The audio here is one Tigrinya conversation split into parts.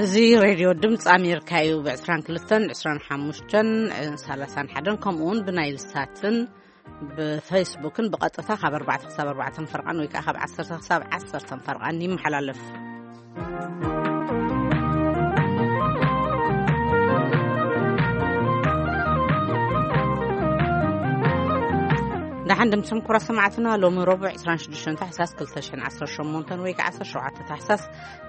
እዚ ሬድዮ ድምፂ ኣሜሪካ እዩ። ብ22፣ 25፣ 31፣ ከምኡ እውን ብናይል ሳትን ብፌስቡክን ብቐጥታ ካብ ኣርባዕተ ክሳብ ኣርባዕተ ፈርቓን ወይ ከዓ ካብ ዓሰርተ ክሳብ ዓሰርተ ፈርቓን ይመሓላለፍ። ደሓን ድምፅኩም ኩራ ሰማዕትና። ሎሚ ረቡዕ 26 ታሕሳስ 2018 ወይ ከዓ 17 ታሕሳስ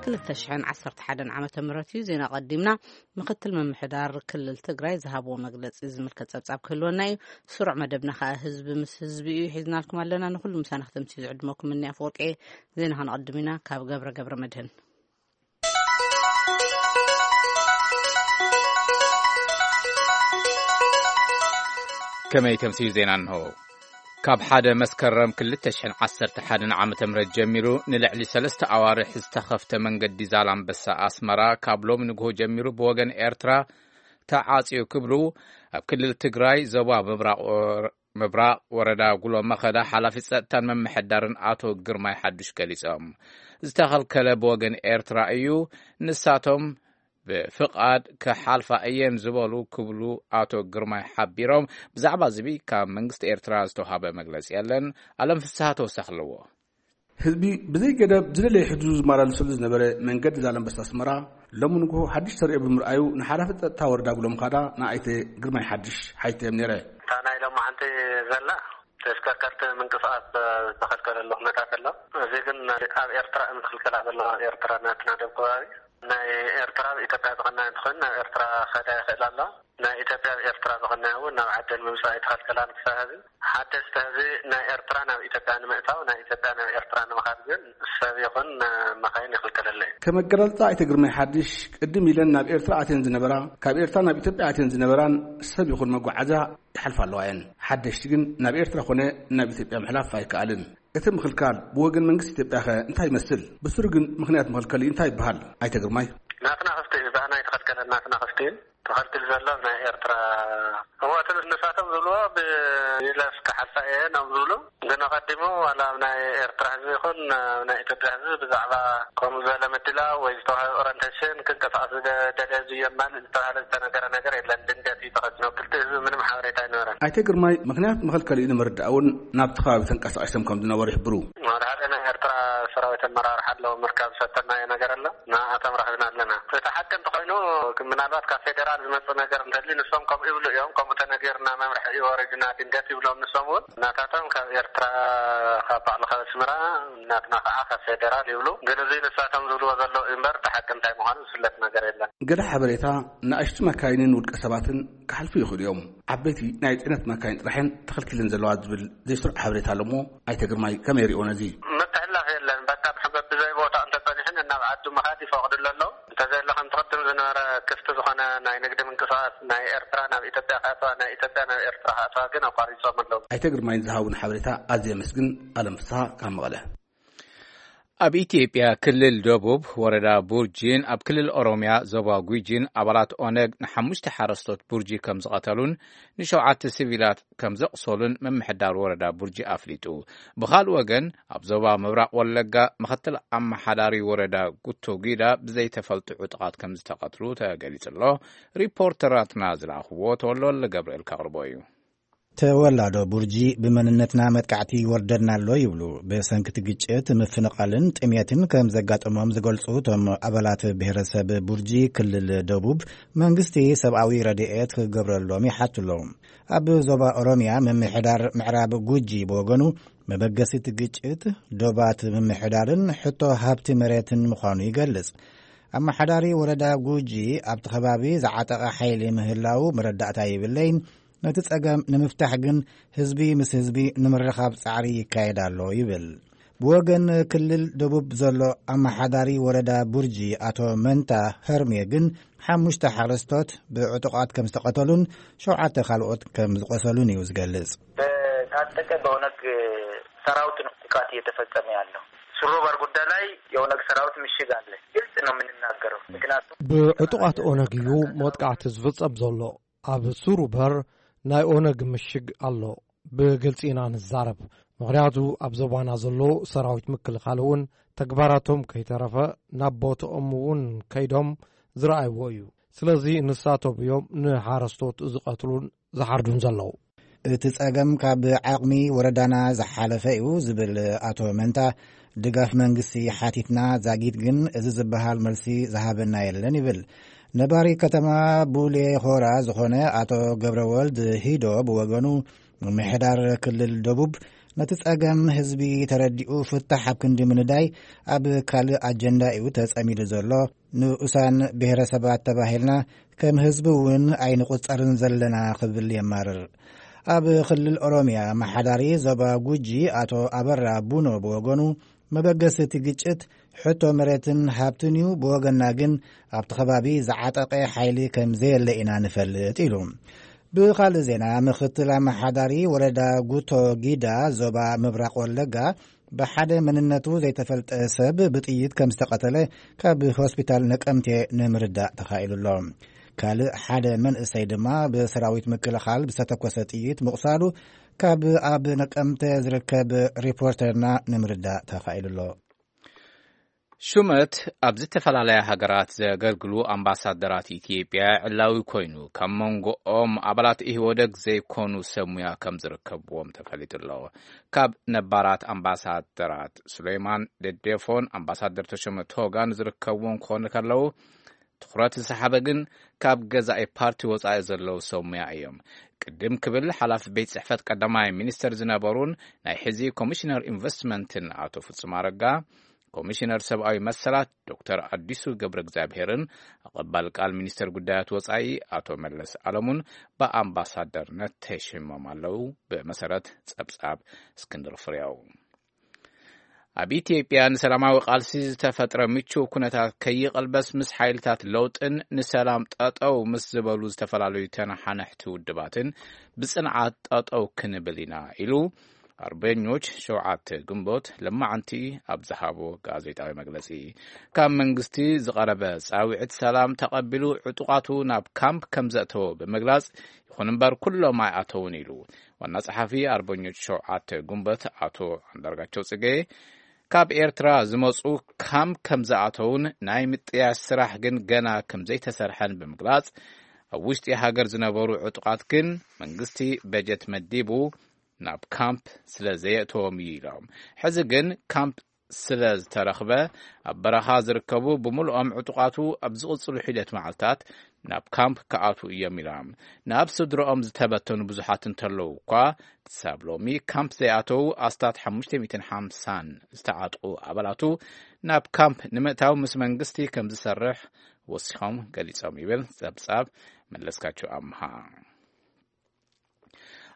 2011 ዓመተ ምህረት እዩ። ዜና ቀዲምና ምክትል ምምሕዳር ክልል ትግራይ ዝሃብዎ መግለፂ ዝምልከት ፀብፃብ ክህልወና እዩ። ስሩዕ መደብና ከዓ ህዝቢ ምስ ህዝቢ እዩ ሒዝናልኩም ኣለና። ንኩሉ ምሳና ክተምሲ ዝዕድመኩም እኒ ኣፈወርቂ። ዜና ከነቐድም ኢና ካብ ገብረ ገብረ መድህን። ከመይ ተምስዩ ዜና እንሆ። ካብ ሓደ መስከረም 2011 ዓመተ ምህረት ጀሚሩ ንልዕሊ ሰለስተ ኣዋርሕ ዝተኸፍተ መንገዲ ዛላምበሳ ኣስመራ ካብ ሎሚ ንግሆ ጀሚሩ ብወገን ኤርትራ ተዓጽዩ ክብሉ ኣብ ክልል ትግራይ ዞባ ምብራቕ ወረ-፣ ምብራቕ ወረዳ ጉሎ መኸዳ ሓላፊ ጸጥታን ምምሕዳርን ኣቶ ግርማይ ሓዱሽ ገሊጾም። ዝተኸልከለ ብወገን ኤርትራ እዩ፣ ንሳቶም ብፍቓድ ክሓልፋ እየን ዝበሉ ክብሉ ኣቶ ግርማይ ሓቢሮም። ብዛዕባ ዝቢ ካብ መንግስቲ ኤርትራ ዝተውሃበ መግለጺ የለን። ኣለም ፍስሃ ተወሳኺ ኣለዎ። ህዝቢ ብዘይ ገደብ ዝደለየ ሕድሩ ዝመላለሰሉ ዝነበረ መንገዲ ዛላምበሳ ኣስመራ ሎሚ ንግሆ ሓድሽ ተርእዮ ብምርኣዩ ንሓላፊ ጸጥታ ወረዳ ጉሎ መኸዳ ንኣይተ ግርማይ ሓድሽ ሓይተዮም ነይረ። እታ ናይ ሎማዓንቲ ዘላ ተሽከርከርቲ ምንቅስቓስ ዝተኸልከለሉ ኩነታት ኣሎ። እዚ ግን ኣብ ኤርትራ እዮም ዝኽልከላ ዘለዋ። ኣብ ኤርትራ ናትና ደቡብ ከባቢ ናይ ኤርትራ ኣብ ኢትዮጵያ ዝቐንያ እንትኾን ናብ ኤርትራ ከዳ ይኽእል ኣሎ። ናይ ኢትዮጵያ ኣብ ኤርትራ ዝቐንያ እውን ናብ ዓደን ምምፃእ ኣይተኸልከላን ክሳብ ሕዚ። ሓደስቲ ሕዚ ናይ ኤርትራ ናብ ኢትዮጵያ ንምእታው፣ ናይ ኢትዮጵያ ናብ ኤርትራ ንምኻድ ግን ሰብ ይኹን መኻይን ይኽልከለለ እዩ። ከም ኣገላልጻ ኣይተ ግርማይ ሓድሽ ቅድም ኢለን ናብ ኤርትራ ኣትየን ዝነበራ፣ ካብ ኤርትራ ናብ ኢትዮጵያ ኣትየን ዝነበራን ሰብ ይኹን መጓዓዝያ ይሓልፋ ኣለዋ እየን። ሓደሽቲ ግን ናብ ኤርትራ ኮነ ናብ ኢትዮጵያ ምሕላፍ ኣይከኣልን። እቲ ምኽልካል ብወገን መንግስቲ ኢትዮጵያ ኸ እንታይ ይመስል? ብስሩ ግን ምኽንያት መኸልከሊ እንታይ ይበሃል? ኣይተ ግርማይ። ናትና ክፍቲ እዩ፣ ብኣና ኣይተኸልከለን፣ ናትና ክፍቲ እዩ። ተኸልክል ዘሎ ናይ ኤርትራ። እሞ እቲ ንሳቶም ዝብልዎ ብይለፍ ክሓልፋ እየ ነው ዝብሉ። ግን ኣቐዲሙ ዋላ ኣብ ናይ ኤርትራ ህዝቢ ይኹን ኣብ ናይ ኢትዮጵያ ህዝቢ ብዛዕባ ከምኡ ዝበለ ምድላው ወይ ዝተዋህበ ኦሪንቴሽን ክንቀሳቐስ ዝደ-፣ ደልየ ዝዮ የማልእ ዝተባህለ ዝተነገረ ነገር የለን። ድንገት እዩ ተኸቲሉ። ክልተ ህዝቢ ምንም ሓበሬታ ኣይነበረን። ኣይተ ግርማይ ምኽንያት መኸልከሊኡ ንምርዳእ እውን ናብቲ ከባቢ ተንቀሳቒሶም ከም ዝነበሩ ይሕብሩ። ሓደ ሓደ ናይ ኤርትራ ሰራዊት ኣመራርሓ ኣለዉ፣ ምርካብ ዝፈተናዮ ነገር ኣሎ። ንኣቶም ረኺብና ኣለና። እቲ ሓቂ እንተኾይኑ፣ ምናልባት ካብ ፌደራል ዝመጽእ ነገር እንተልዩ፣ ንሶም ከምኡ ይብሉ እዮም፣ ከምኡ ተነጊርና መምርሒ እዩ ወሪድና ድንገት ይብሎም። ንሶም እውን ናታቶም ካብ ኤርትራ፣ ካብ ባዕሉ ካብ ኣስመራ፣ ናትና ከዓ ካብ ፌደራል ይብሉ። ግን እዚ ንሳቶም ዝብልዎ ዘለዉ እዩ እምበር፣ እቲ ሓቂ እንታይ ምዃኑ ዝፍለጥ ነገር የለን። ገለ ሓበሬታ ንኣሽቱ መካይንን ውልቀ ሰባትን ክሓልፉ ይኽእሉ እዮም። ዓበይቲ ናይ ጽዕነት መካይን ጥራሕን ተኸልኪለን ዘለዋ ዝብል ዘይስሩዕ ሓበሬታ ኣሎ እሞ፣ ኣይተ ግርማይ ከመይ ይሪኦ ነዚ? ምትሕልላፍ የለን። በቃ ብሕበ-፣ ብዘይ ቦታ እንተጸኒሕን ናብ ዓዱ ምኻድ ይፈቕድሉ ኣለዉ። እንተዘየለ ከምቲ ቅድም ዝነበረ ክፍቲ ዝኾነ ናይ ንግዲ ምንቅስቓስ ናይ ኤርትራ ናብ ኢትዮጵያ ከእትዋ፣ ናይ ኢትዮጵያ ናብ ኤርትራ ከእትዋ ግን ኣቋሪጾም ኣለዉ። ኣይተ ግርማይ ዝሃቡን ሓበሬታ ኣዝየ ኣመስግን። ኣለም ፍስሃ ካብ መቐለ። ኣብ ኢትዮጵያ ክልል ደቡብ ወረዳ ቡርጂን ኣብ ክልል ኦሮሚያ ዞባ ጉጂን ኣባላት ኦነግ ንሓሙሽተ ሓረስቶት ቡርጂ ከም ዝቐተሉን ንሸውዓተ ሲቪላት ከም ዘቕሰሉን ምምሕዳር ወረዳ ቡርጂ ኣፍሊጡ። ብኻልእ ወገን ኣብ ዞባ ምብራቕ ወለጋ ምኽትል ኣመሓዳሪ ወረዳ ጉቶ ጊዳ ብዘይተፈልጡ ዕጡቓት ከም ዝተቐትሉ ተገሊጹ ኣሎ። ሪፖርተራትና ዝለኣኽዎ ተወልደ ወልደ ገብርኤል ከቕርቦ እዩ። ተወላዶ ቡርጂ ብመንነትና መጥቃዕቲ ይወርደና ኣሎ ይብሉ። ብሰንክቲ ግጭት፣ ምፍንቓልን ጥሜትን ከም ዘጋጠሞም ዝገልጹ እቶም ኣባላት ብሄረሰብ ቡርጂ ክልል ደቡብ መንግስቲ ሰብኣዊ ረድኤት ክገብረሎም ይሓቱ ኣለዉ። ኣብ ዞባ ኦሮሚያ ምምሕዳር ምዕራብ ጉጂ ብወገኑ መበገሲ እቲ ግጭት ዶባት ምምሕዳርን ሕቶ ሃብቲ መሬትን ምዃኑ ይገልጽ። ኣመሓዳሪ ወረዳ ጉጂ ኣብቲ ከባቢ ዝዓጠቐ ሓይሊ ምህላዉ መረዳእታ የብለይን፣ ነቲ ጸገም ንምፍታሕ ግን ህዝቢ ምስ ህዝቢ ንምርኻብ ጻዕሪ ይካየድ ኣሎ ይብል። ብወገን ክልል ደቡብ ዘሎ ኣመሓዳሪ ወረዳ ቡርጂ ኣቶ መንታ ሀርሜ ግን ሓሙሽተ ሓረስቶት ብዕጡቓት ከም ዝተቐተሉን ሸውዓተ ካልኦት ከም ዝቆሰሉን እዩ ዝገልጽ። በታጠቀ በኦነግ ሰራዊት ነው ጥቃት እየተፈጸመ ያለው። ሱሮ ባር ጉዳይ ላይ የኦነግ ሰራዊት ምሽግ አለ። ግልጽ ነው የምንናገረው። ምክንያቱም ብዕጡቓት ኦነግ እዩ መጥቃዕቲ ዝፍጸም ዘሎ። ኣብ ሱሩ በር ናይ ኦነግ ምሽግ ኣሎ። ብግልጺ ኢና ንዛረብ። ምኽንያቱ ኣብ ዞባና ዘሎ ሰራዊት ምክልኻል እውን ተግባራቶም ከይተረፈ ናብ ቦትኦም እውን ከይዶም ዝረኣይዎ እዩ። ስለዚ ንሳቶም እዮም ንሓረስቶት ዝቐትሉን ዝሓርዱን ዘለዉ። እቲ ጸገም ካብ ዓቕሚ ወረዳና ዝሓለፈ እዩ ዝብል ኣቶ መንታ፣ ድጋፍ መንግስቲ ሓቲትና ዛጊት ግን እዚ ዝበሃል መልሲ ዝሃበና የለን ይብል። ነባሪ ከተማ ቡሌ ሆራ ዝኾነ ኣቶ ገብረወልድ ሂዶ ብወገኑ፣ ምምሕዳር ክልል ደቡብ ነቲ ጸገም ህዝቢ ተረዲኡ ፍታሕ ኣብ ክንዲ ምንዳይ ኣብ ካልእ ኣጀንዳ እዩ ተጸሚዱ ዘሎ። ንኡሳን ብሔረሰባት ተባሂልና ከም ህዝቢ እውን ኣይንቑጸርን ዘለና ክብል የማርር። ኣብ ክልል ኦሮምያ ኣመሓዳሪ ዞባ ጉጂ ኣቶ ኣበራ ቡኖ ብወገኑ፣ መበገሲ እቲ ግጭት ሕቶ መሬትን ሃብትን እዩ፣ ብወገንና ግን ኣብቲ ከባቢ ዝዓጠቐ ሓይሊ ከም ዘየለ ኢና ንፈልጥ ኢሉ። ብኻልእ ዜና፣ ምክትል ኣመሓዳሪ ወረዳ ጉቶ ጊዳ ዞባ ምብራቕ ወለጋ ብሓደ መንነቱ ዘይተፈልጠ ሰብ ብጥይት ከም ዝተቐተለ ካብ ሆስፒታል ነቀምቴ ንምርዳእ ተኻኢሉ ኣሎ። ካልእ ሓደ መንእሰይ ድማ ብሰራዊት ምክልኻል ብዝተተኮሰ ጥይት ምቑሳሉ ካብ ኣብ ነቀምተ ዝርከብ ሪፖርተርና ንምርዳእ ተኻኢሉ ኣሎ። ሹመት ኣብ ዝተፈላለያ ሃገራት ዘገልግሉ ኣምባሳደራት ኢትዮጵያ ዕላዊ ኮይኑ፣ ካብ መንጎኦም ኣባላት ኢህወደግ ዘይኮኑ ሰብ ሙያ ከም ዝርከብዎም ተፈሊጡ ኣሎ። ካብ ነባራት ኣምባሳደራት፣ ሱሌይማን ደደፎን ኣምባሳደር ተሾመ ቶጋን ዝርከብዎም ክኾኑ ከለዉ፣ ትኹረት ዝሰሓበ ግን ካብ ገዛኢ ፓርቲ ወጻኢ ዘለዉ ሰብ ሙያ እዮም። ቅድም ክብል ሓላፊ ቤት ጽሕፈት ቀዳማይ ሚኒስተር ዝነበሩን ናይ ሕዚ ኮሚሽነር ኢንቨስትመንትን ኣቶ ፍጹም ኣረጋ፣ ኮሚሽነር ሰብኣዊ መሰላት ዶክተር ኣዲሱ ገብረ እግዚኣብሄርን ኣቐባል ቃል ሚኒስተር ጉዳያት ወጻኢ ኣቶ መለስ ኣለሙን ብኣምባሳደርነት ተሾይሞም ኣለዉ። ብመሰረት ጸብጻብ እስክንድር ፍሬው። ኣብ ኢትዮጵያ ንሰላማዊ ቃልሲ ዝተፈጥረ ምቹው ኩነታት ከይቐልበስ፣ ምስ ሓይልታት ለውጥን ንሰላም ጠጠው ምስ ዝበሉ ዝተፈላለዩ ተነሓነሕቲ ውድባትን ብጽንዓት ጠጠው ክንብል ኢና ኢሉ ኣርበኞች ሸውዓተ ግንቦት ለማዓንቲ ኣብ ዝሃቦ ጋዜጣዊ መግለጺ፣ ካብ መንግስቲ ዝቐረበ ጻውዒት ሰላም ተቐቢሉ ዕጡቓቱ ናብ ካምፕ ከም ዘእተወ ብምግላጽ፣ ይኹን እምበር ኩሎም ኣይኣተውን ኢሉ። ዋና ጸሓፊ ኣርበኞች ሸውዓተ ግንቦት ኣቶ ኣንዳርጋቸው ጽጌ፣ ካብ ኤርትራ ዝመጹ ካምፕ ከም ዝኣተውን ናይ ምጥያሽ ስራሕ ግን ገና ከም ዘይተሰርሐን ብምግላጽ፣ ኣብ ውሽጢ ሃገር ዝነበሩ ዕጡቓት ግን መንግስቲ በጀት መዲቡ ናብ ካምፕ ስለ ዘየእተዎም እዩ ኢሎም። ሕዚ ግን ካምፕ ስለ ዝተረኽበ፣ ኣብ በረኻ ዝርከቡ ብምልኦም ዕጡቓቱ ኣብ ዝቕጽሉ ሒደት መዓልታት ናብ ካምፕ ክኣትዉ እዮም ኢሎም። ናብ ስድረኦም ዝተበተኑ ብዙሓት እንተለዉ እኳ፣ ክሳብ ሎሚ ካምፕ ዘይኣተዉ ኣስታት ሓሙሽተ ሚእትን ሓምሳን ዝተዓጥቑ ኣባላቱ ናብ ካምፕ ንምእታው ምስ መንግስቲ ከም ዝሰርሕ ወሲኾም ገሊጾም ይብል ጸብጻብ መለስካቸው ኣምሃ።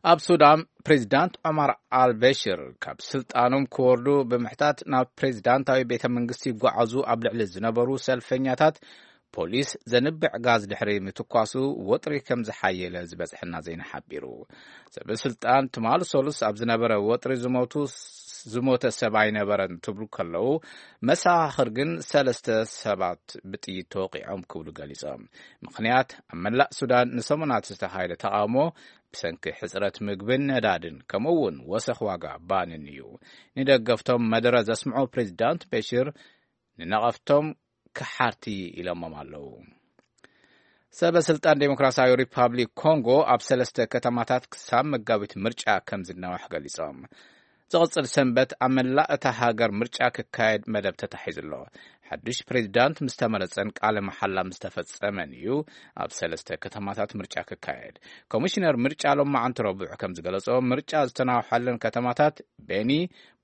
ኣብ ሱዳን፣ ፕሬዚዳንት ዑማር ኣልበሽር ካብ ስልጣኖም ክወርዱ ብምሕታት ናብ ፕሬዚዳንታዊ ቤተ መንግስቲ ይጓዓዙ ኣብ ልዕሊ ዝነበሩ ሰልፈኛታት ፖሊስ ዘንብዕ ጋዝ ድሕሪ ምትኳሱ፣ ወጥሪ ከም ዝሓየለ ዝበጽሐና ዜና ሓቢሩ። ሰበ ስልጣን ትማሊ ሰሉስ ኣብ ዝነበረ ወጥሪ ዝሞቱ፣ ዝሞተ ሰብ ኣይነበረን ትብሉ ከለዉ፣ መሰኻኽር ግን ሰለስተ ሰባት ብጥይት ተወቒዖም ክብሉ ገሊጾም። ምኽንያት፣ ኣብ መላእ ሱዳን ንሰሙናት ዝተኻየደ ተቓውሞ ብሰንኪ ሕጽረት ምግብን ነዳድን፣ ከምኡ እውን ወሰኽ ዋጋ ባንን እዩ። ንደገፍቶም መደረ ዘስምዑ ፕሬዚዳንት በሽር፣ ንነቐፍቶም ከሓርቲ ኢሎሞም ኣለዉ። ሰበ ስልጣን ዴሞክራሲያዊ ሪፓብሊክ ኮንጎ ኣብ ሰለስተ ከተማታት ክሳብ መጋቢት ምርጫ ከም ዝናዋሕ ገሊጾም። ዝቕጽል ሰንበት ኣብ መላእ እታ ሃገር ምርጫ ክካየድ መደብ ተታሒዙ ኣሎ። ሓድሽ ፕሬዚዳንት ምስ ተመረጸን ቃለ መሓላ ምስ ተፈጸመን እዩ ኣብ ሰለስተ ከተማታት ምርጫ ክካየድ። ኮሚሽነር ምርጫ ሎማዓንቲ ረቡዕ ከም ዝገለጾ፣ ምርጫ ዝተናውሐለን ከተማታት ቤኒ፣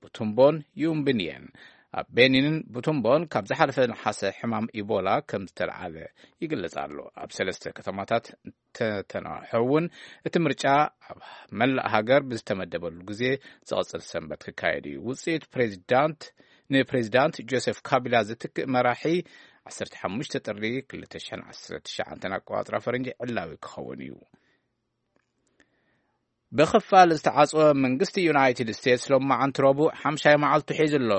ቡቱምቦን ዩምብን እየን። ኣብ ቤኒንን ቡቱምቦን ካብ ዝሓለፈ ነሓሰ ሕማም ኢቦላ ከም ዝተለዓለ ይግለጽ ኣሎ። ኣብ ሰለስተ ከተማታት እንተተናውሐ እውን፣ እቲ ምርጫ ኣብ መላእ ሃገር ብዝተመደበሉ ግዜ ዝቐጽል ሰንበት ክካየድ እዩ። ውጽኢት ፕሬዚዳንት፣ ንፕሬዚዳንት ጆሴፍ ካቢላ ዝትክእ መራሒ ዓሰርተ ሓሙሽተ ጥሪ ክልተ ሽሕን ዓሰርተ ትሽዓተን ኣቆጻጽራ ፈረንጂ ዕላዊ ክኸውን እዩ። ብኽፋል ዝተዓጽወ መንግስቲ ዩናይትድ ስቴትስ ሎማዓንቲ ረቡዕ ሓምሻይ መዓልቱ ሒዙ ኣሎ።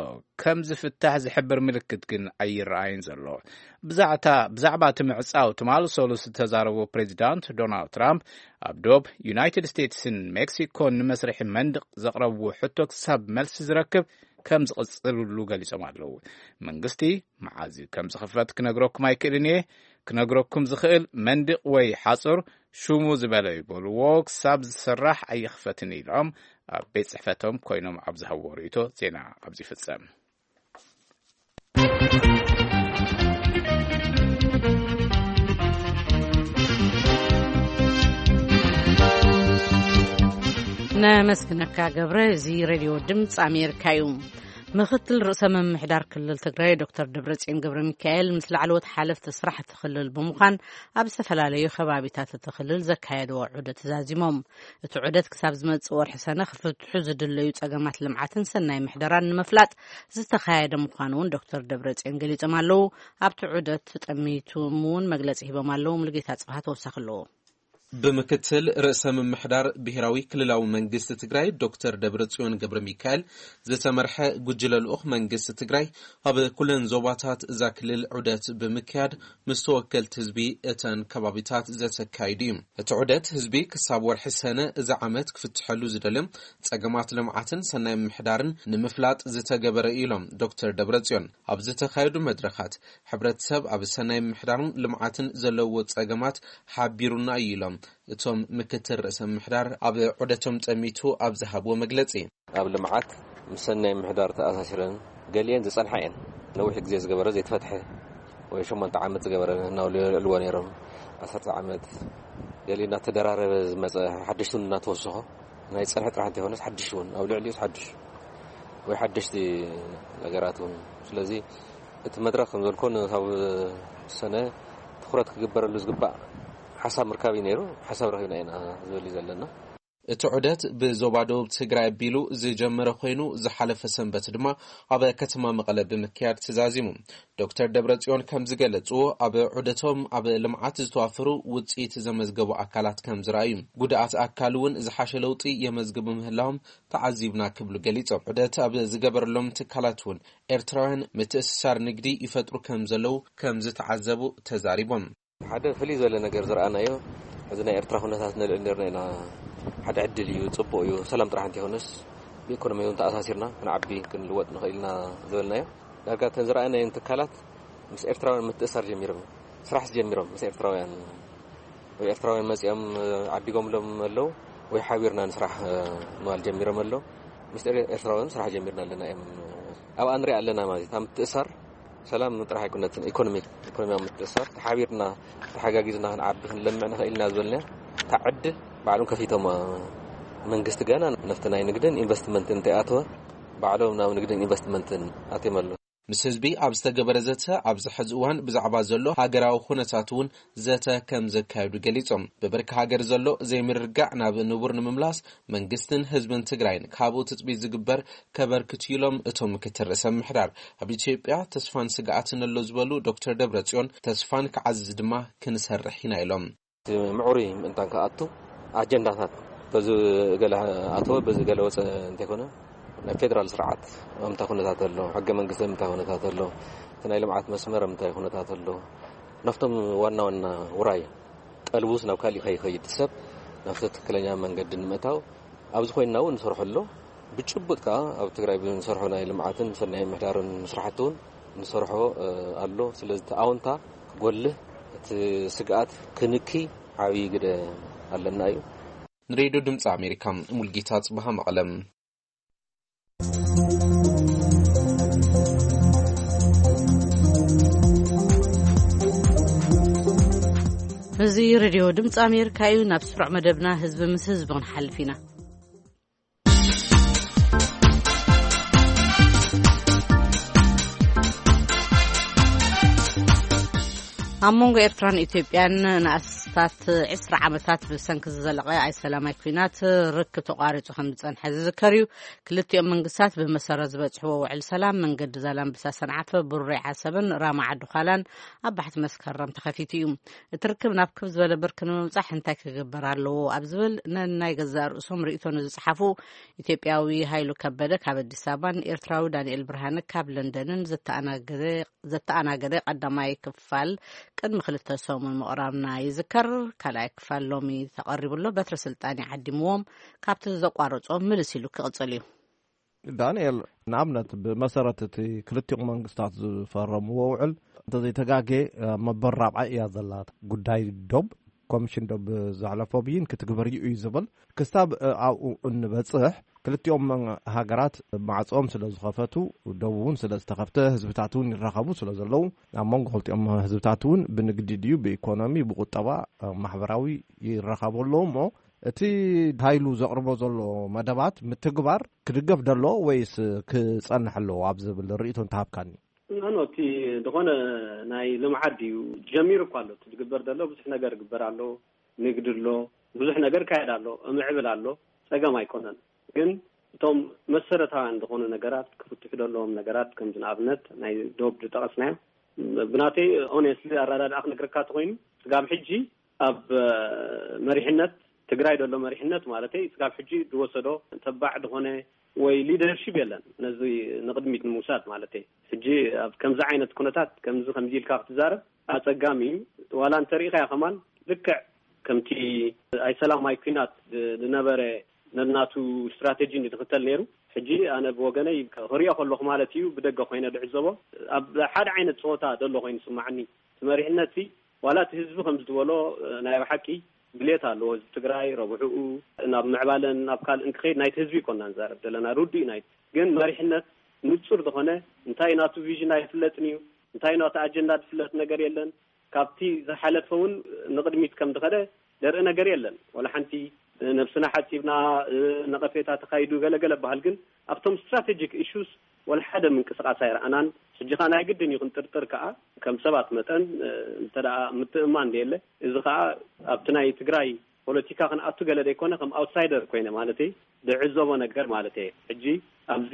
ከም ዝፍታሕ ዝሕብር ምልክት ግን ኣይረኣይን ዘሎ። ብዛዕታ-፣ ብዛዕባ እቲ ምዕጻው ትማሊ ሰሉስ ዝተዛረቡ ፕሬዚዳንት ዶናልድ ትራምፕ፣ ኣብ ዶብ ዩናይትድ ስቴትስን ሜክሲኮን ንመስርሒ መንድቕ ዘቕረብዎ ሕቶ ክሳብ መልሲ ዝረክብ ከም ዝቕጽልሉ ገሊጾም ኣለዉ። መንግስቲ መዓዝ ከም ዝኽፈት ክነግረኩም ኣይክእልን እየ። ክነግረኩም ዝኽእል መንድቕ ወይ ሓጹር ሽሙ ዝበለ ይበልዎ ክሳብ ዝስራሕ ኣይኽፈትን ኢሎም ኣብ ቤት ጽሕፈቶም ኮይኖም ኣብ ዝሃብዎ ርእይቶ ዜና ኣብዚ ይፍጸም። ነመስግነካ ገብረ። እዚ ሬድዮ ድምፂ ኣሜሪካ እዩ። ምክትል ርእሰ ምምሕዳር ክልል ትግራይ ዶክተር ደብረፅዮን ገብረ ሚካኤል ምስ ላዕለዎት ሓለፍቲ ስራሕ እቲ ክልል ብምዃን ኣብ ዝተፈላለዩ ከባቢታት እቲ ክልል ዘካየድዎ ዑደት ተዛዚሞም። እቲ ዑደት ክሳብ ዝመፅእ ወርሒ ሰነ ክፍትሑ ዝድለዩ ፀገማት ልምዓትን ሰናይ ምሕደራን ንምፍላጥ ዝተኻየደ ምዃኑ እውን ዶክተር ደብረፅዮን ገሊፆም ኣለዉ። ኣብቲ ዑደት ጠሚቶም እውን መግለፂ ሂቦም ኣለዉ። ሙሉጌታ ፅባህ ተወሳኺ ኣለዎ። ብምክትል ርእሰ ምምሕዳር ብሔራዊ ክልላዊ መንግስቲ ትግራይ ዶክተር ደብረጽዮን ገብረ ሚካኤል ዝተመርሐ ጉጅለ ልኡኽ መንግስቲ ትግራይ ኣብ ኩለን ዞባታት እዛ ክልል ዑደት ብምክያድ ምስ ተወከልቲ ህዝቢ እተን ከባቢታት ዘተካይዱ እዩ። እቲ ዑደት ህዝቢ ክሳብ ወርሒ ሰነ እዚ ዓመት ክፍትሐሉ ዝደልዮም ጸገማት ልምዓትን ሰናይ ምምሕዳርን ንምፍላጥ ዝተገበረ እዩ ኢሎም ዶክተር ደብረጽዮን። ኣብ ዝተኻየዱ መድረኻት ሕብረተሰብ ኣብ ሰናይ ምምሕዳርን ልምዓትን ዘለዎ ጸገማት ሓቢሩና እዩ ኢሎም እቶም ምክትል ርእሰ ምምሕዳር ኣብ ዑደቶም ጠሚቱ ኣብ ዝሃብዎ መግለጺ። ኣብ ልምዓት ምስ ሰናይ ምምሕዳር ተኣሳሲረን ገሊአን ዝጸንሓ እየን። ነዊሕ ግዜ ዝገበረ ዘይተፈትሐ ወይ ሸሞንተ ዓመት ዝገበረ እናበሉ የልዕልዎ ነይሮም። ዓሰርተ ዓመት ገሊኡ እናተደራረበ ዝመጸ ሓደሽቲ እውን እናተወሰኾ ናይ ጸንሐ ጥራሕ እንተይኮነስ ሓድሽ እውን ኣብ ልዕሊኡ ሓድሽ ወይ ሓደሽቲ ነገራት እውን። ስለዚ እቲ መድረኽ ከም ዘልኮ ንሳብ ሰነ ትኹረት ክግበረሉ ዝግባእ ሓሳብ ምርካብ እዩ ነይሩ። ሓሳብ ረኺብና ኢና ዝብል እዩ ዘለና። እቲ ዑደት ብዞባ ደቡብ ትግራይ ኣቢሉ ዝጀመረ ኮይኑ ዝሓለፈ ሰንበት ድማ ኣብ ከተማ መቐለ ብምክያድ ተዛዚሙ። ዶክተር ደብረጽዮን ከም ዝገለጽዎ ኣብ ዑደቶም ኣብ ልምዓት ዝተዋፈሩ ውጽኢት ዘመዝገቡ ኣካላት ከም ዝረኣዩ፣ ጉድኣት ኣካል እውን ዝሓሸ ለውጢ የመዝግቡ ምህላዎም ተዓዚብና ክብሉ ገሊጾም። ዑደት ኣብ ዝገበረሎም ትካላት እውን ኤርትራውያን ምትእስሳር ንግዲ ይፈጥሩ ከም ዘለዉ ከም ዝተዓዘቡ ተዛሪቦም። ሓደ ፍልይ ዝበለ ነገር ዝረኣናዮ፣ እዚ ናይ ኤርትራ ኩነታት ንልዕል ነርና ኢና። ሓደ ዕድል እዩ፣ ጽቡቕ እዩ። ሰላም ጥራሕ እንተይኮነስ ብኢኮኖሚ እውን ተኣሳሲርና ክንዓቢ ክንልወጥ ንኽእል ኢና ዝበልናዮ። ዳርጋ እተን ዝረኣናየን ትካላት ምስ ኤርትራውያን ምትእሳር ጀሚሮም፣ ስራሕ ጀሚሮም ምስ ኤርትራውያን ወይ ኤርትራውያን መጺኦም ዓዲጎምሎም ኣለዉ ወይ ሓቢርና ንስራሕ ምባል ጀሚሮም ኣለዉ። ምስ ኤር-፣ ኤርትራውያን ስራሕ ጀሚርና ኣለና እዮም። ኣብኣ ንሪኣ ኣለና ማለት እዩ። እታ ምትእሳር ሰላም ጥራሕ ኣይኮነትን፣ ኢኮኖሚ፣ ኢኮኖሚያዊ ምትእሳር ተሓቢርና ተሓጋጊዝና ክንዓቢ ክንለምዕ ንኽእል ኢና ዝበልና እታ ዕድል ባዕሎም ከፊቶም መንግስቲ ገና ነፍቲ ናይ ንግድን ኢንቨስትመንትን እንተይኣተወ ባዕሎም ናብ ንግድን ኢንቨስትመንትን ኣትዮም ኣለዉ። ምስ ህዝቢ ኣብ ዝተገበረ ዘተ ኣብዚ ሕዚ እዋን ብዛዕባ ዘሎ ሃገራዊ ኩነታት እውን ዘተ ከም ዘካየዱ ገሊጾም። ብብርኪ ሃገር ዘሎ ዘይምርግጋዕ ናብ ንቡር ንምምላስ መንግስትን ህዝብን ትግራይን ካብኡ ትጽቢት ዝግበር ከበርክቱ ኢሎም እቶም ምክትል ርእሰ ምምሕዳር። ኣብ ኢትዮጵያ ተስፋን ስግኣትን ኣሎ ዝበሉ ዶክተር ደብረጽዮን ተስፋን ክዓዝዝ ድማ ክንሰርሕ ኢና ኢሎም። እቲ ምዕሩይ ምእንታን ክኣቱ ኣጀንዳታት በዚ ገለ ኣተወ በዚ ገለ ወፀ እንተይኮነ ናይ ፌደራል ስርዓት ኣብ ምንታይ ኩነታት ኣሎ፣ ሕገ መንግስቲ ኣብ ምንታይ ኩነታት ኣሎ፣ እቲ ናይ ልምዓት መስመር ኣብ ምንታይ ኩነታት ኣሎ፣ ናብቶም ዋና ዋና ውራይ ቀልቡስ ናብ ካሊእ ከይኸይድ ሰብ ናብቲ ትክክለኛ መንገዲ ንምእታው ኣብዚ ኮይንና እውን ንሰርሖ ኣሎ። ብጭቡጥ ከዓ ኣብ ትግራይ ብንሰርሖ ናይ ልምዓትን ሰናይ ምሕዳርን ስራሕቲ እውን ንሰርሖ፣ እ፣ ኣሎ። ስለዚ እቲ ኣውንታ ክጎልህ፣ እቲ ስግኣት ክንኪ ዓብዪ ግደ ኣለና እዩ። ንሬድዮ ድምፂ ኣሜሪካ ሙልጌታ ጽባሃ መቐለም። እዚ ሬድዮ ድምፂ ኣሜሪካ እዩ። ናብ ስሩዕ መደብና ህዝቢ ምስ ህዝቢ ክንሓልፍ ኢና። ኣብ መንጎ ኤርትራን ኢትዮጵያን ንኣስታት ዕስራ ዓመታት ብሰንኪ ዝዘለቐ ኣይሰላማይ ኲናት ርክብ ተቋሪጹ ከም ዝጸንሐ ዝዝከር እዩ። ክልቲኦም መንግስታት ብመሰረት ዝበጽሕዎ ውዕል ሰላም መንገዲ ዛላምበሳ ሰንዓፈ፣ ቡሬ ዓሰብን ራማ ዓዲ ዃላን ኣብ ባሕቲ መስከረም ተኸፊቱ እዩ። እቲ ርክብ ናብ ክብ ዝበለ ብርኪ ንምብጻሕ እንታይ ክግበር ኣለዎ ኣብ ዝብል ነናይ ገዛእ ርእሶም ርእይቶ ንዝጸሓፉ ኢትዮጵያዊ ሃይሉ ከበደ ካብ ኣዲስ ኣበባን ኤርትራዊ ዳንኤል ብርሃነ ካብ ለንደንን ዘተኣናገደ ዘተኣናገደ ቀዳማይ ክፋል ቅድሚ ክልተ ሰሙን ምቕራብና ይዝከር። ካልኣይ ክፋል ሎሚ ተቐሪቡ ኣሎ። በትረ ስልጣን ዓዲምዎም ካብቲ ዘቋረጾም ምልስ ኢሉ ክቕጽል እዩ። ዳንኤል፣ ንኣብነት ብመሰረት እቲ ክልቲኦም መንግስታት ዝፈረምዎ ውዕል እንተዘይተጋጌ መበል ራብዓይ እያ ዘላ። ጉዳይ ዶብ ኮሚሽን ዶብ ዘሕለፎ ብይን ክትግበር እዩ እዩ ዝብል። ክሳብ ኣብኡ እንበጽሕ ክልቲኦም ሃገራት ማዕጾም ስለ ዝኸፈቱ፣ ደቡብ እውን ስለ ዝተኸፍተ፣ ህዝብታት እውን ይራኸቡ ስለ ዘለዉ፣ ኣብ መንጎ ክልቲኦም ህዝብታት እውን ብንግዲ ድዩ ብኢኮኖሚ ብቁጠባ ማሕበራዊ ይራኸቡ ኣለዉ። እሞ እቲ ሃይሉ ዘቕርቦ ዘሎ መደባት ምትግባር ክድገፍ ደሎ ወይስ ክጸንሕ ኣለዎ ኣብ ዝብል ርእይቶ እንተሃብካኒ? ኖ ኖ፣ እቲ ዝኾነ ናይ ልምዓት ድዩ ጀሚሩ እኳ ኣሎ። እቲ ዝግበር ዘሎ ብዙሕ ነገር ይግበር ኣሎ። ንግዲ ኣሎ፣ ብዙሕ ነገር ይካየድ ኣሎ፣ እምዕብል ኣሎ። ጸገም ኣይኮነን። ግን እቶም መሰረታውያን ዝኾኑ ነገራት ክፍትሑ ዘለዎም ነገራት፣ ከምዚ ንኣብነት ናይ ዶብ ዝጠቐስናዮ፣ ብናተይ ኦኔስትሊ ኣረዳድኣ ክነግረካ ተኾይኑ፣ ስጋብ ሕጂ ኣብ መሪሕነት ትግራይ ዘሎ መሪሕነት ማለተይ ስጋብ ሕጂ ዝወሰዶ ተባዕ ዝኾነ ወይ ሊደርሺፕ የለን፣ ነዚ ንቕድሚት ንምውሳድ ማለተይ። ሕጂ ኣብ ከምዚ ዓይነት ኩነታት ከምዚ ከምዚ ኢልካ ክትዛረብ ኣጸጋሚ እዩ። ዋላ እንተሪኢኻዮ ከማን ልክዕ ከምቲ ኣይሰላም ኣይኲናት ዝነበረ ነናቱ ስትራቴጂ ንትኽተል ነይሩ። ሕጂ ኣነ ብወገነይ ክሪኦ ከለኹ ማለት እዩ፣ ብደገ ኮይነ ዝዕዘቦ ኣብ ሓደ ዓይነት ጸወታ ዘሎ ኮይኑ ይስማዓኒ። እቲ መሪሕነት ሲ ዋላ እቲ ህዝቢ ከም ዝበሎ ናይ ብሓቂ ድሌት ኣለዎ። ህዝቢ ትግራይ ረብሕኡ ናብ ምዕባለን ናብ ካልእን ክኸይድ ናይቲ ህዝቢ ይኮና ንዛረብ ዘለና፣ ርዱእ ናይ ግን መሪሕነት ንጹር ዝኾነ እንታይ ናቱ ቪዥን ኣይፍለጥን እዩ፣ እንታይ ናቱ ኣጀንዳ ዝፍለጥ ነገር የለን። ካብቲ ዝሓለፈ እውን ንቕድሚት ከም ዝኸደ ዘርኢ ነገር የለን። ወላ ሓንቲ ነብስና ሓጺብና ነቐፌታ ተኻይዱ ገለገለ በሃል፣ ግን ኣብቶም ስትራቴጂክ ኢሹስ ወላ ሓደ ምንቅስቃስ ኣይረኣናን። ሕጂ ኸኣ ናይ ግድን እዩ ክንጥርጥር ከኣ ከም ሰባት መጠን እንተ ደኣ ምትእምማን ደየለ፣ እዚ ኸኣ ኣብቲ ናይ ትግራይ ፖለቲካ ክንኣቱ ገለ ደይኮነ ከም ኣውትሳይደር ኮይነ ማለተይ ዝዕዘቦ ነገር ማለተይ። ሕጂ ኣብዚ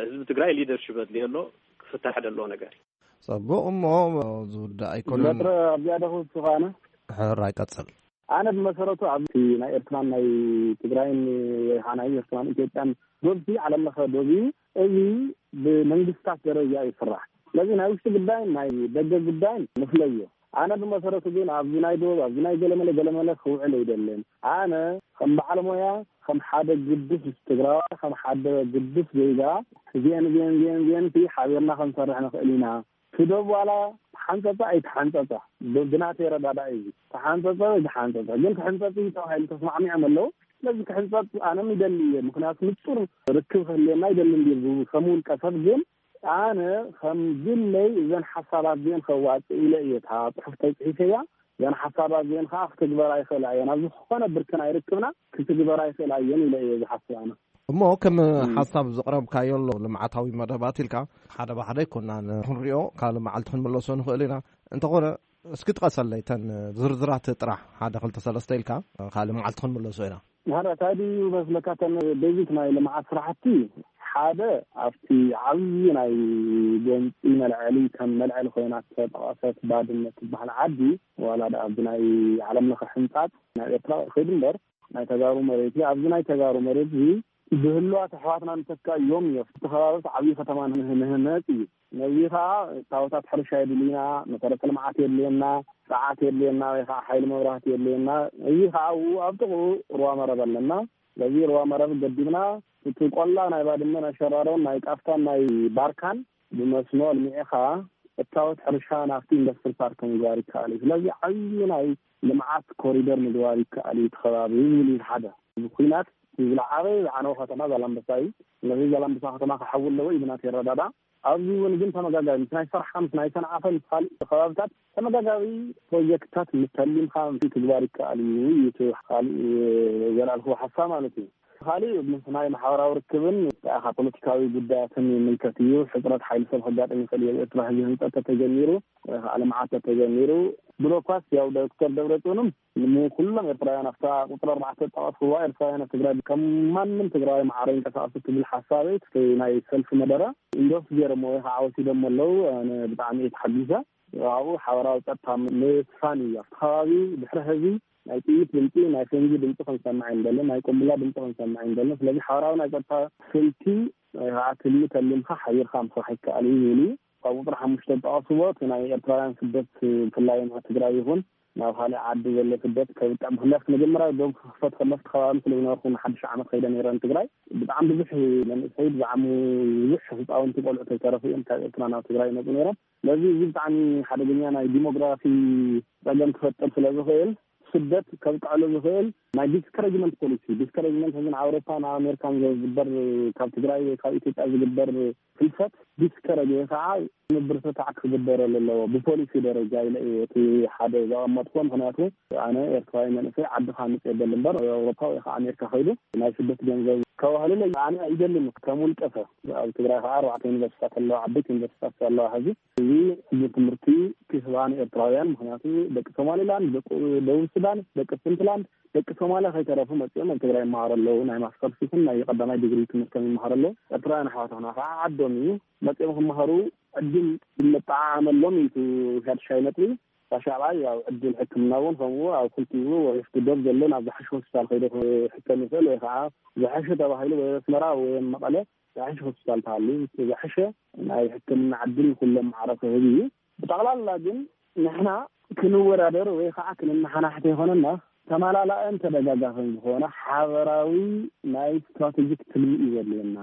ህዝቢ ትግራይ ሊደርሺፕ ኣድልዮ ኣሎ፣ ክፍታሕ ዘለዎ ነገር እዩ። ጸቡቕ እሞ ዝውዳእ ኣይኮነን። በትረ ኣብዚኣ ደኹ ስኻነ ሕራይ ቀጽል። ኣነ ብመሰረቱ ኣብቲ ናይ ኤርትራን ናይ ትግራይን ወይ ኸዓ ናይ ኤርትራን ኢትዮጵያን ዶብቲ ዓለም ለኸ ዶብ እዩ። እዚ ብመንግስታት ደረጃ ይስራሕ። ስለዚ ናይ ውሽጢ ጉዳይን ናይ ደገ ጉዳይን ንፍለዮ። ኣነ ብመሰረቱ ግን ኣብዚ ናይ ዶብ ኣብዚ ናይ ገለመለ ገለመለ ክውዕል ኣይደልን። ኣነ ከም በዓል ሞያ ከም ሓደ ግዱስ ትግራዋይ ከም ሓደ ግዱስ ዜጋ እዚአን እዚአን እዚአን እዚአን ሲ ሓቢርና ክንሰርሕ ንኽእል ኢና። እቲ ዶብ ዋላ ተሓንፀፀ ኣይተሓንፀፀ ብ- ብናተይ ረዳዳእ እዩ። ተሓንፀፀ ወይ ተሓንፀፀ ግን ክሕንፀፅ እዩ ተባሂሉ ተስማዕሚዖም ኣለዉ። ስለዚ ክሕንፀፅ ኣነ ይደሊ እየ። ምክንያቱ ንፁር ርክብ ክህልየና ይደሊ እንዲ ከም ውልቀ ሰብ ግን ኣነ ከም ግለይ እዘን ሓሳባት እዚአን ከዋፅእ ኢለ እየ እታ ፅሑፍ ተፅሒፈያ። እዘን ሓሳባት እዚአን ከዓ ክትግበር ኣይኽእላ እየን ኣብ ዝኾነ ብርክን ኣይርክብና ክትግበር ኣይኽእላ እየን ኢለ እየ ዝሓስብ ኣነ። እሞ ከም ሓሳብ ዘቕረብካዮ ኣሎ ልምዓታዊ መደባት ኢልካ ሓደ ብሓደ ኣይኮናን ክንሪኦ ካልእ መዓልቲ ክንምለሶ ንኽእል ኢና። እንተኾነ እስኪ ጥቀሰለይ ተን ዝርዝራት ጥራሕ ሓደ ክልተ ሰለስተ ኢልካ ካልእ መዓልቲ ክንምለሶ ኢና። ንሓደ እንታይ ድዩ መስለካ ተን ቤዚክ ናይ ልምዓት ስራሕቲ ሓደ ኣብቲ ዓብዪ ናይ ጎንፂ መልዐሊ ከም መልዐሊ ኮይና ዝተጠቐሰት ባድመ ትበሃል ዓዲ ዋላ ዳ ኣብዚ ናይ ዓለም ለኸ ሕንፃፅ ናብ ኤርትራ ከይዱ እምበር ናይ ተጋሩ መሬት እዩ። ኣብዚ ናይ ተጋሩ መሬት እዚ ብህልዋት ኣሕዋትና ንተካ እዮም እዮም እቲ ከባቢ ዓብዪ ከተማ ንህነፅ እዩ። ነዚ ከዓ እታወታት ሕርሻ የድልዩና፣ መሰረተ ልምዓት የድልየና፣ ሰዓት የድልየና ወይ ከዓ ሓይሊ መብራህቲ የድልየና። እዚ ከዓ ኣብኡ ኣብ ጥቕኡ ሩባ መረብ ኣለና። ስለዚ ሩባ መረብ ገዲብና እቲ ቆላ ናይ ባድመን ኣሸራሮን ናይ ቃፍታን ናይ ባርካን ብመስኖ ኣልሚዕኻ እታወት ሕርሻ ናብቲ ኢንዱስትሪ ፓርክ ምግባር ይከኣል እዩ። ስለዚ ዓብዪ ናይ ልምዓት ኮሪደር ምግባር ይከኣል እዩ እቲ ከባቢ ይብል እዩ ሓደ። ብኩናት ዝለዓበ ዝዓነወ ከተማ ዛላምበሳ እዩ። ስለዚ ዛላምበሳ ከተማ ክሓዊ ኣለዎ እዩ ብናት የረዳዳ። ኣብዚ እውን ግን ተመጋጋቢ ምስ ናይ ሰርሓ ምስ ናይ ሰንዓፈ ምስ ካልእ ከባብታት ተመጋጋቢ ፕሮጀክትታት ምተሊምካ ምትግባር ይከኣል እዩ እዩ እቲ ካልእ ዘልኣልክዎ ሓሳብ ማለት እዩ። ካልእ ምስ ናይ ማሕበራዊ ርክብን ካ ፖለቲካዊ ጉዳያትን ይምልከት እዩ። ሕፅረት ሓይሊ ሰብ ከጋጥም ይኽእል እዩ። ኣብ ኤርትራ ህዝቢ ህንፀት ተተጀሚሩ ወይ ከዓ ልምዓት ተተጀሚሩ ብሎኳስ ያው ዶክተር ደብረፅዮንም ንኩሎም ኤርትራውያን ኣብታ ቁፅሪ ኣርባዕተ ዝጠቐስክዋ ኤርትራውያን ኣብ ትግራይ ከም ማንም ትግራዋይ ማዕረ ይንቀሳቐሱ ትብል ሓሳበይ እቲ ናይ ሰልፊ መደረ ኢንዶርስ ገይሮሞ ወይ ከዓ ወሲዶሞ ኣለዉ። ኣነ ብጣዕሚ እየ ተሓጒሰ። ኣብኡ ሓበራዊ ጸጥታ ምስፋን እዩ። ኣብቲ ከባቢ ድሕሪ ሕዚ ናይ ጥይት ድምፂ ናይ ፈንጂ ድምፂ ክንሰምዕ ኣይንደልን፣ ናይ ቆምቡላ ድምፂ ክንሰምዕ ኣይንደልን። ስለዚ ሓበራዊ ናይ ጸጥታ ስልቲ ወይ ከዓ ትልሚ ተሊምካ ሓቢርካ ምስራሕ ይከኣል እዩ ዝብል እዩ። ካብ ቁፅሪ ሓሙሽተ ዝጠቐስዎ እቲ ናይ ኤርትራውያን ስደት፣ ብፍላይ ናብ ትግራይ ይኹን ናብ ካልእ ዓዲ ዘሎ ስደት ከብቅዕ፣ ምክንያቱ መጀመርያ ዶብ ክኽፈት ከሎ ኣብቲ ከባቢ ስለ ዝነበርኩ፣ ንሓድሽ ዓመት ከይደ ነይረ ንትግራይ። ብጣዕሚ ብዙሕ መንእሰይ፣ ብዛዕሙ ብዙሕ ህፃውንቲ ቆልዑ ተይተረፉ እዮም ካብ ኤርትራ ናብ ትግራይ ይመፁ ነይሮም። ስለዚ እዚ ብጣዕሚ ሓደገኛ ናይ ዲሞግራፊ ፀገም ክፈጥር ስለ ዝኽእል፣ ስደት ከብቅዐሉ ዝኽእል ናይ ዲስከሬጅመንት ፖሊሲ፣ ዲስከሬጅመንት፣ ሕዚ ንኣውሮፓ ንኣሜሪካን ዝግበር፣ ካብ ትግራይ ወይ ካብ ኢትዮጵያ ዝግበር ፍልሰት ዲስከሬጅ ወይ ከዓ ምብርትታዕ ክግበረሉ ኣለዎ ብፖሊሲ ደረጃ ኢለ እየ እቲ ሓደ ዘቐመጥኩዎ። ምክንያቱ ኣነ ኤርትራዊ መንእሰይ ዓድኻ ምፅ የበል እምበር ኣውሮፓ ወይ ከዓ ኣሜሪካ ከይዱ ናይ ስደት ገንዘብ ከዋህልለይ ኣነ ኣይደልን። ከም ውልቀ ሰብ ኣብ ትግራይ ከዓ ኣርባዕተ ዩኒቨርሲታት ኣለዋ፣ ዓበይቲ ዩኒቨርሲታት ኣለዋ። ሕዚ እዚ ዕድል ትምህርቲ ክህባ ንኤርትራውያን፣ ምክንያቱ ደቂ ሶማሊላንድ፣ ደቂ ደቡብ ሱዳን፣ ደቂ ፑንትላንድ፣ ደቂ ሶማሊያ ከይተረፉ መፅኦም ኣብ ትግራይ ይመሃሩ ኣለዉ። ናይ ማስተርስ ይኹን ናይ ቀዳማይ ዲግሪ ትምህርቶም ይመሃሩ ኣለዉ። ኤርትራውያን ኣሕዋትና ከዓ ዓዶም እዩ መፅኦም ክመሃሩ ዕድል ይመጣዓመሎም እዩ እቲ ሻድሻይ ነጥቢ። ራሻባይ ኣብ ዕድል ሕክምና እውን ከምኡ ኣብ ክልቲኡ ወይስ ዶብ ዘሎ ናብ ዝሓሸ ሆስፒታል ከይደ ክሕከም ይኽእል ወይ ከዓ ዝሓሸ ተባሂሉ ወይ ኣስመራ ወይ መቐለ ዝሓሸ ሆስፒታል ተሃልዩ ዝሓሸ ናይ ሕክምና ዕድል ንኩሎም ማዕረ ክህብ እዩ። ብጠቕላላ ግን ንሕና ክንወዳደር ወይ ከዓ ክንመሓናሕት ኣይኮነና። ተመላላእን ተደጋጋፍን ዝኾነ ሓበራዊ ናይ ስትራቴጂክ ትልሚ እዩ ዘድልየና።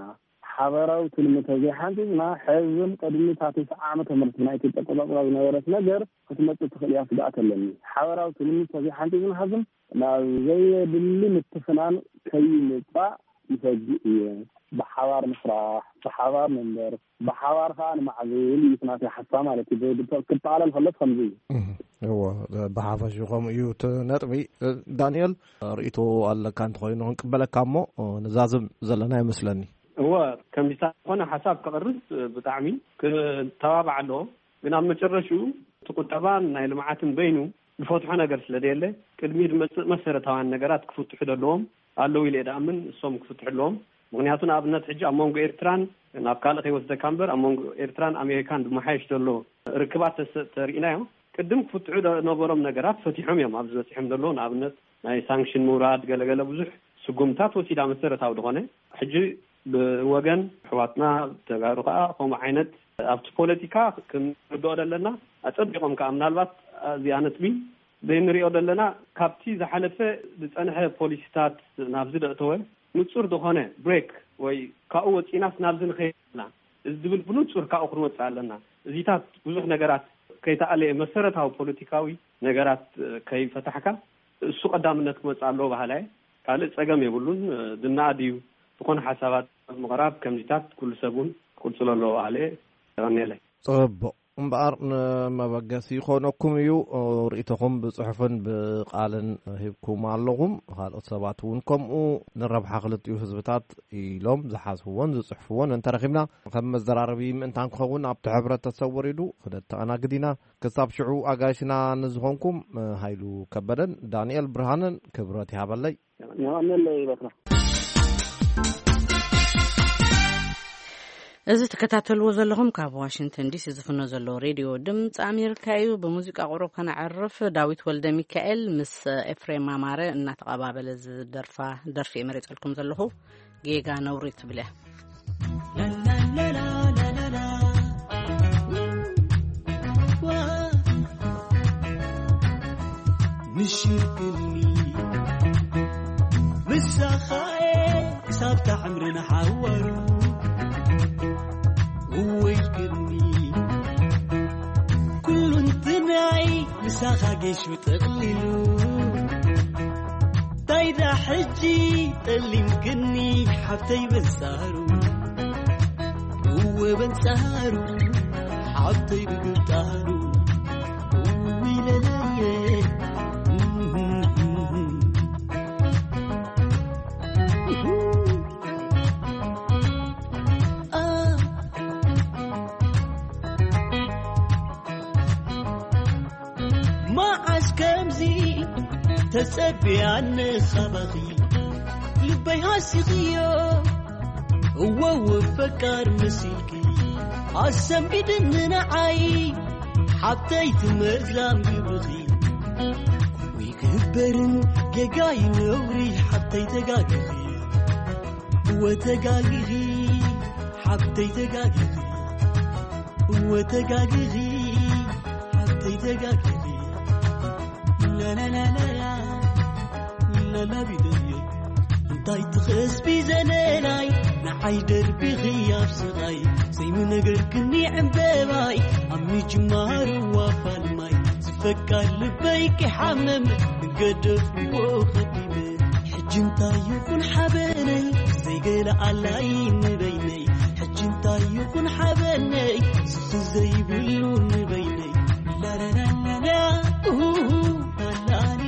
ሓበራዊ ትልሚ ተዘይሓንፂፅና፣ ሕዝን ቅድሚ እታ ተስዓ ዓመተ ምህረት ብናይ ኢትዮጵያ ኣቆፃፅራ ዝነበረት ነገር ክትመፅእ ትኽእል እያ ስግኣት ኣለኒ። ሓበራዊ ትልሚ ተዘይሓንፂፅና፣ ሕዝን ናብ ዘየድሊ ምትፍናን ከይምፃእ ይሰግእ እየ። ብሓባር ንስራሕ፣ ብሓባር ንንበር፣ ብሓባር ከዓ ንማዕብል እዩ እቲ ናተይ ሓሳብ ማለት እዩ። ብ-፣ ብ-፣ ክጠቓለል ከሎስ ከምዚ እዩ። እህ፣ እዎ፣ ብሓፈሽኡ ከምኡ እዩ እቲ ነጥቢ። ዳንኤል፣ ርእይቶ ኣለካ እንተኾይኑ ክንቅበለካ እሞ ንዛዝም ዘለና ይመስለኒ። እወ፣ ከምዚታት ዝኾነ ሓሳብ ከቕርብ ብጣዕሚ ክተባባዕ ኣለዎ። ግን ኣብ መጨረሽኡ እቲ ቁጠባን ናይ ልምዓትን በይኑ ዝፈትሖ ነገር ስለ ዘየለ፣ ቅድሚ ዝመጽእ መሰረታውያን ነገራት ክፍትሑ ዘለዎም ኣለዉ ኢለ እየ ድኣምን። እሶም ክፍትሑ ኣለዎም። ምኽንያቱ ንኣብነት ሕጂ ኣብ መንጎ ኤርትራን፣ ናብ ካልእ ከይወስደካ እምበር፣ ኣብ መንጎ ኤርትራን ኣሜሪካን ዝመሓየሽ ዘሎ ርክባት ተስ-፣ ተሪእናዮ፣ ቅድም ክፍትሑ ዝነበሮም ነገራት ፈቲሖም እዮም ኣብዚ በጺሖም ዘለዉ። ንኣብነት ናይ ሳንክሽን ምውራድ፣ ገለገለ ብዙሕ ስጉምታት ወሲዳ መሰረታዊ ዝኾነ። ሕጂ ብወገን ኣሕዋትና ተጋሩ ከኣ ከምኡ ዓይነት ኣብቲ ፖለቲካ ክንርድኦ ዘለና ኣጸቢቖም ከኣ ምናልባት እዚኣ ነጥቢ ዘይንሪኦ ዘለና ካብቲ ዝሓለፈ ዝጸንሐ ፖሊሲታት ናብዚ ዘእተወ ንጹር ዝኾነ ብሬክ ወይ ካብኡ ወጺናስ ናብዚ ንኸይድ ኣለና እዚ ዝብል ብንጹር ካብኡ ክንወጽእ ኣለና። እዚታት ብዙሕ ነገራት ከይተኣለየ መሰረታዊ ፖለቲካዊ ነገራት ከይፈታሕካ እሱ ቀዳምነት ክመጽእ ኣለዎ በሃላይ። ካልእ ጸገም የብሉን። ዝነኣድ እዩ። ዝኾነ ሓሳባት ምቕራብ ከምዚታት ኩሉ ሰብ እውን ክቕጽሎ ኣለዎ በሃለ። የቐንየለይ። ጽቡቕ። እምበኣር ንመበገሲ ይኾነኩም እዩ። ርእይቶኹም ብጽሑፍን ብቓልን ሂብኩም ኣለኹም። ካልኦት ሰባት እውን ከምኡ። ንረብሓ ክልቲኡ ህዝብታት ኢሎም ዝሓስብዎን ዝጽሕፍዎን እንተረኺብና፣ ከም መዘራረቢ ምእንታን ክኸውን ኣብቲ ሕብረተሰብ ወሪዱ ክነተኣናግድ ኢና። ክሳብ ሽዑ ኣጋይሽና ንዝኾንኩም፣ ሃይሉ ከበደን ዳንኤል ብርሃንን ክብረት ይሃበለይ። የቐንየለይ በትራ። እዚ ትከታተልዎ ዘለኹም ካብ ዋሽንግተን ዲሲ ዝፍኖ ዘሎ ሬድዮ ድምፂ ኣሜሪካ እዩ። ብሙዚቃ ቁሩብ ከነዕርፍ። ዳዊት ወልደ ሚካኤል ምስ ኤፍሬም ኣማረ እናተቐባበለ ዝደርፋ ደርፊ እየ መሪጸልኩም ዘለኹ። ጌጋ ነውሪ ትብል እያ። ምሽርክኒ ምሳኻየ ክሳብ ታዕምርን ሓዋሩ እወይልክኒ ኩሉ እንትናይ ምሳኻ ጌሹ ጠቕሊሉ። ታይዳ ሕጂ ጠሊምክኒ ሓብተይ በንጻሩ፣ እወ በንጻሩ፣ ሓብተይ ብግንጣሩ፣ እውይ ለለየ። መዓስ ከምዚ ተጸቢያ ንኻባኺ ልበይ ሃሲኽዮ። እወ እወ ፈቃር መሲልኪ ኣሰንቢድኒ ንዓይ ሓብተይ ትመርዛም ግብርኺ። ወይ ክበርን ጌጋይ ነውሪ ሓብተይ ተጋጊኺ። እወ ተጋጊኺ ሓብተይ ተጋጊኺ። ወተጋግኺ ሓብተይ ተጋግኺ ላላላላላ ላላቢደዮ እንታይ ትኸስቢ ዘለላይ ንዓይ ደርቢኺ ኣብ ስቓይ ዘይምነገርክኒ ዕምበባይ ኣብ ምጅማሩ ዋፋልማይ ዝፈቃ ልበይ ክሓመም ገደፍዎ ኸዲመ ሕጂ እንታይ ይኹን ሓበነይ ዘይገለ ኣላይ ንበይነይ ሕጂ እንታይ ይኹን ሓበነይ ስኺ ዘይብሉ ንበይነይ ላላላላላ ኡሁሁ ላላሊ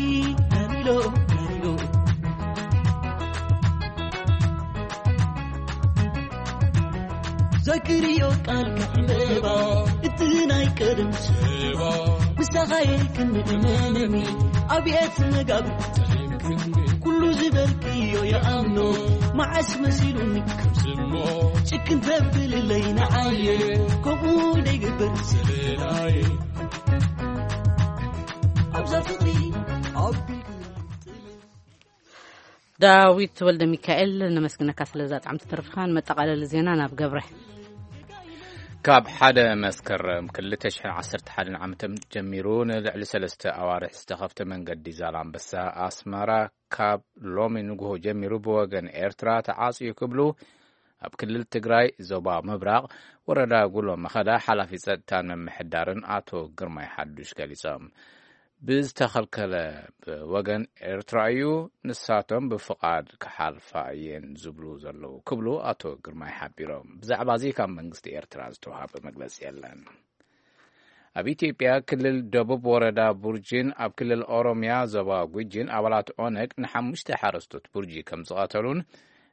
ላሊሎ ላሊሎ ዘክርዮ ቃል ከዕምባ እቲ ናይ ቀደም ስባ ምሳኻየ ክንእመነኒ ኣብየት መጋብ ኩሉ ዝበልክዮ የኣምኖ መዓስ መሲሉኒ ጭክን ተብልለይ ንዓየ ከምኡ ደይግበር ስለናየ ኣብዛ ፍቕሪ ኣቢልክኒ ዳዊት ወልደ ሚካኤል ነመስግነካ ስለዛ ጣዕምቲ ትርፍኻን መጠቓለሊ ዜና ናብ ገብረ ካብ ሓደ መስከረም ክልተ ሽሕን ዓሰርተ ሓደን ዓመተ ምህረት ጀሚሩ ንልዕሊ ሰለስተ ኣዋርሕ ዝተኸፍተ መንገዲ ዛላምበሳ ኣስመራ ካብ ሎሚ ንግሆ ጀሚሩ ብወገን ኤርትራ ተዓጽዩ ክብሉ ኣብ ክልል ትግራይ ዞባ ምብራቕ ወረዳ ጉሎ መኸዳ ሓላፊ ጸጥታን ምምሕዳርን ኣቶ ግርማይ ሓዱሽ ገሊጾም። ብዝተኸልከለ ብወገን ኤርትራ እዩ፣ ንሳቶም ብፍቓድ ክሓልፋ እየን ዝብሉ ዘለዉ ክብሉ ኣቶ ግርማይ ሓቢሮም። ብዛዕባ እዚ ካብ መንግስቲ ኤርትራ ዝተዋሃበ መግለጺ የለን። ኣብ ኢትዮጵያ ክልል ደቡብ ወረዳ ቡርጂን ኣብ ክልል ኦሮሚያ ዞባ ጉጂን ኣባላት ኦነግ ንሓሙሽተ ሓረስቶት ቡርጂ ከም ዝቐተሉን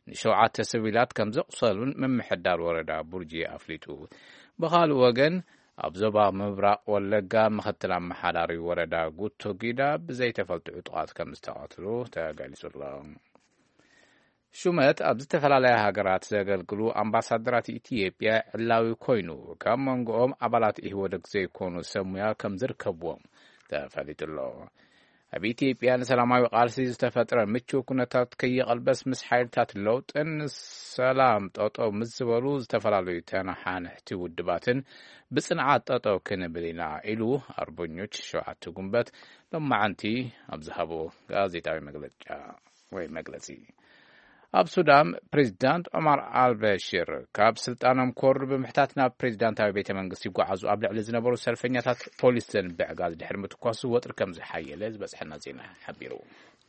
ንሸውዓተ ስቪላት ከም ዘቑሰሉን ምምሕዳር ወረዳ ቡርጂ ኣፍሊጡ። ብኻልእ ወገን ኣብ ዞባ ምብራቕ ወለጋ ምኽትል ኣመሓዳሪ ወረዳ ጉቶ ጊዳ ብዘይተፈልጡ ዕጡቓት ከም ዝተቐትሉ ተገሊጹ ኣሎ። ሹመት ኣብ ዝተፈላለያ ሃገራት ዘገልግሉ ኣምባሳደራት ኢትዮጵያ ዕላዊ ኮይኑ ካብ መንጎኦም ኣባላት ኢህወደግ ዘይኮኑ ሰብ ሙያ ከም ዝርከብዎም ተፈሊጡ ኣሎ። ኣብ ኢትዮጵያ ንሰላማዊ ቃልሲ ዝተፈጥረ ምቹው ኩነታት ከይቐልበስ ምስ ሓይልታት ለውጥን ሰላም ጠጠው ምስ ዝበሉ ዝተፈላለዩ ተነሓንሕቲ ውድባትን ብጽንዓት ጠጠው ክንብል ኢና ኢሉ ኣርበኞች ሸውዓተ ጉንበት ሎማዓንቲ ኣብ ዝሃቦ ጋዜጣዊ መግለጫ ወይ መግለጺ። ኣብ ሱዳን ፕሬዚዳንት ዑማር ኣልበሽር ካብ ስልጣኖም ክወርዱ ብምሕታት ናብ ፕሬዚዳንታዊ ቤተ መንግስቲ ይጓዓዙ ኣብ ልዕሊ ዝነበሩ ሰልፈኛታት ፖሊስ ዘንብዕ ጋዝ ድሕሪ ምትኳሱ ወጥሪ ከም ዝሓየለ ዝበጽሐና ዜና ሓቢሩ።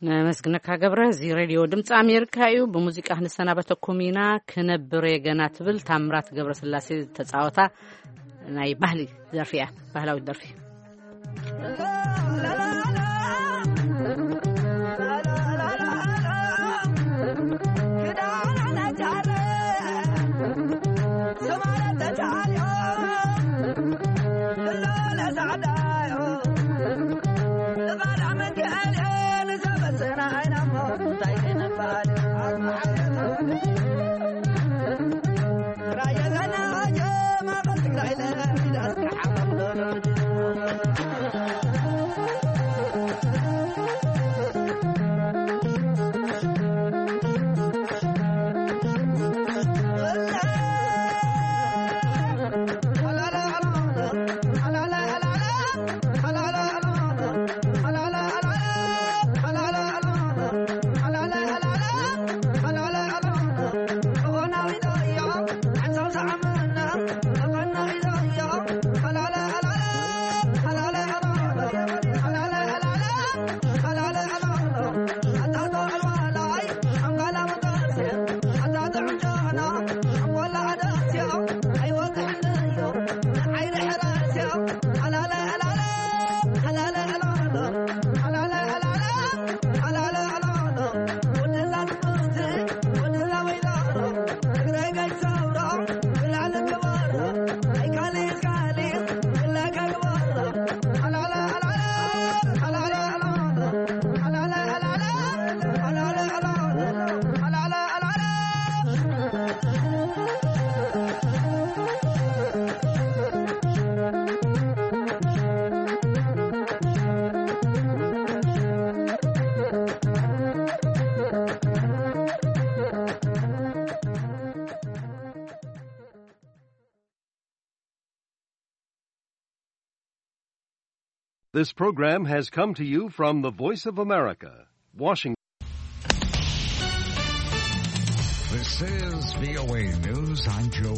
ነመስግነካ ገብረ። እዚ ሬድዮ ድምፂ ኣሜሪካ እዩ። ብሙዚቃ ክንሰናበተኩም ኢና። ክነብር እየ ገና ትብል ታምራት ገብረስላሴ ዝተፃወታ ናይ ባህሊ ደርፊ እያ፣ ባህላዊት ደርፊ። This program has come to you from the Voice of America, Washington. This is V O A News. I'm Joe